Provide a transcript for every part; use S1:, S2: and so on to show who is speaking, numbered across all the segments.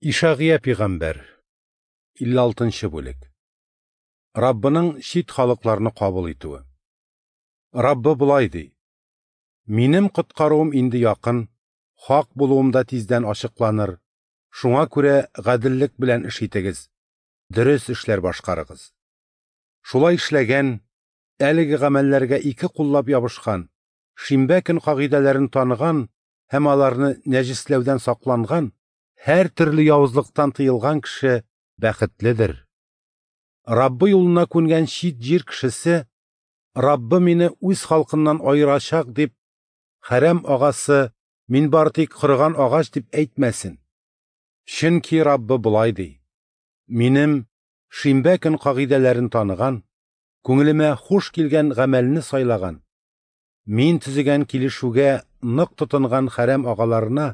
S1: Ишагыя пигамбәр, 56 бүлек. Раббының чит халыкларны кабул итүе. Раббы болай ди: Минем коткаруым инде якын, хак булуым да тиздән ачыкланыр. Шуңа күрә гаделлек белән эш итегез, дөрес эшләр башкарыгыз. Шулай эшләгән, әлеге гамәлләргә ике куллап ябышкан, шимбә көн кагыйдәләрен таныган һәм аларны нәҗесләүдән сакланган, һәр төрле явызлыктан тыелган кеше бәхетледер. Раббы юлына күнгән чит җир кешесе, Раббы мине үз халкыннан аерачак дип, хәрәм агасы, мин бары тик корыган агач дип әйтмәсен. Чөнки Раббы болай ди: Минем шимбә көн кагыйдәләрен таныган, күңелемә хуш килгән гамәлне сайлаган, мин төзегән килешүгә нык тотынган хәрәм агаларына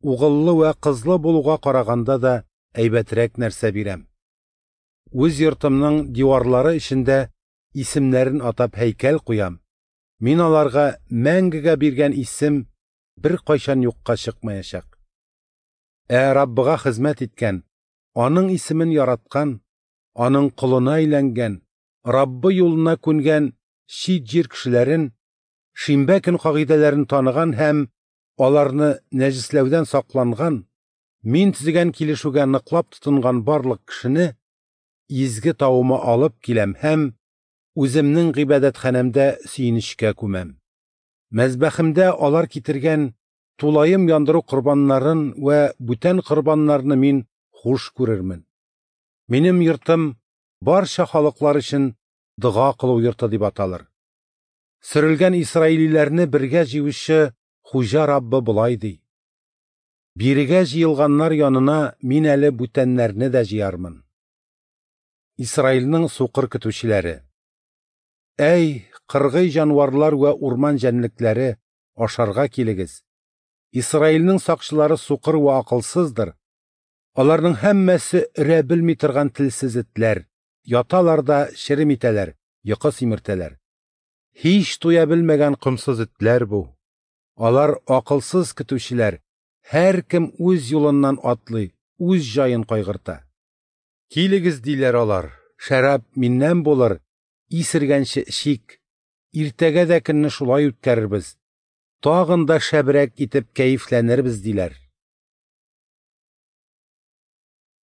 S1: угыллы вә кызлы булуга караганда да әйбәтрәк нәрсә бирәм. Үз йортымның диварлары эчендә исемнәрен атап һәйкәл куям. Мин аларга мәңгегә биргән исем беркайчан юкка чыкмаячак. Ә Раббыга хезмәт иткән, аның исемен яраткан, аның колына әйләнгән, Раббы юлына күнгән чит җир кешеләрен, шимбә көн кагыйдәләрен таныган һәм аларны нәҗесләүдән сакланган, мин төзегән килешүгә ныклап тотынган барлык кешене изге тавыма алып киләм һәм үземнең гыйбадәтханәмдә сөенечкә күмәм. Мәзбәхемдә алар китергән тулаем яндыру корбаннарын вә бүтән корбаннарны мин хуш күрермен. Минем йортым барча халыклар өчен дога кылу йорты дип аталыр. Сөрелгән исраилиләрне бергә җыючы Хуҗа Раббы болай ди: Бирегә җыелганнар янына мин әле бүтәннәрне дә җыярмын. Исраилнең сукыр көтүчеләре. Әй, кыргый җанварлар вә урман җәнлекләре, ашарга килегез. Исраилнең сакчылары сукыр вә акылсыздыр. Аларның һәммәсе өрә белми торган телсез этләр, яталар да черем итәләр, йокы симертәләр. Һич туя белмәгән комсыз этләр бу. Алар акылсыз көтүчеләр, һәркем үз юлыннан атлый, үз җаен кайгырта. Килегез, диләр алар, шәраб миннән булыр, исергәнче эчик, иртәгә дә көнне шулай үткәрербез, тагын да шәбрәк итеп кәефләнербез, диләр.